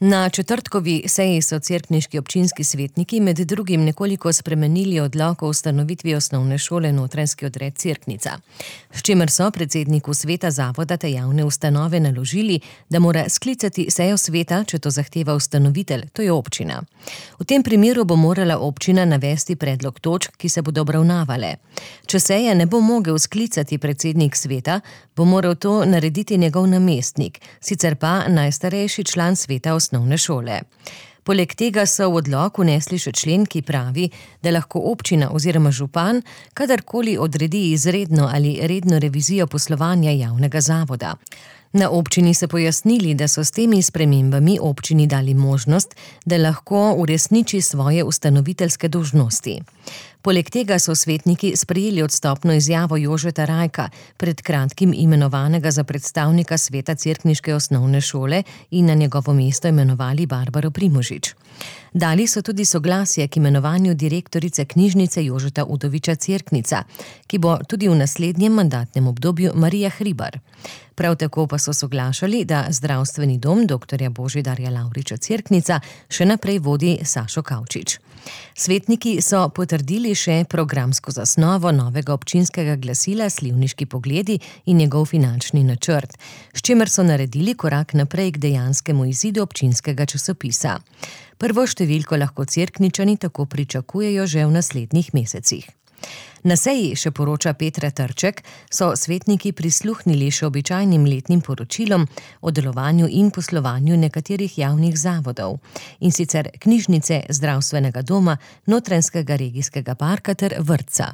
Na četrtkovi seji so cerkniški občinski svetniki med drugim nekoliko spremenili odlok o ustanovitvi osnovne šole Notranjski odred Cerknica, s čimer so predsedniku sveta zavoda te javne ustanove naložili, da mora sklicati sejo sveta, če to zahteva ustanovitelj, to je občina. V tem primeru bo morala občina navesti predlog točk, ki se bodo obravnavale. Če seje ne bo mogel sklicati predsednik sveta, bo moral to narediti njegov namestnik, sicer pa najstarejši član sveta osnovne šole. Poleg tega so v odlok vnesli še člen, ki pravi, da lahko občina oziroma župan kadarkoli odredi izredno ali redno revizijo poslovanja javnega zavoda. Na občini so pojasnili, da so s temi spremembami občini dali možnost, da lahko uresniči svoje ustanoviteljske dolžnosti. Poleg tega so svetniki sprejeli odstopno izjavo Jožeta Rajka, pred kratkim imenovanega za predstavnika sveta cerkniške osnovne šole, in na njegovo mesto imenovali Barbaro Primožič. Dali so tudi soglasje k imenovanju direktorice knjižnice Jožeta Udoviča Cerknica, ki bo tudi v naslednjem mandatnem obdobju Marija Hribar. Prav tako pa so soglašali, da zdravstveni dom dr. Božidarja Lavriča Cerknica še naprej vodi Sašo Kavčič. Svetniki so potrdili še programsko zasnovo novega občinskega glasila Slivniški pogledi in njegov finančni načrt, s čimer so naredili korak naprej k dejanskemu izidu občinskega časopisa. Prvo številko lahko Cerkničani tako pričakujejo že v naslednjih mesecih. Na seji, še poroča Petra Trček, so svetniki prisluhnili še običajnim letnim poročilom o delovanju in poslovanju nekaterih javnih zavodov, in sicer knjižnice, zdravstvenega doma, Notranjskega regijskega parka ter vrtca.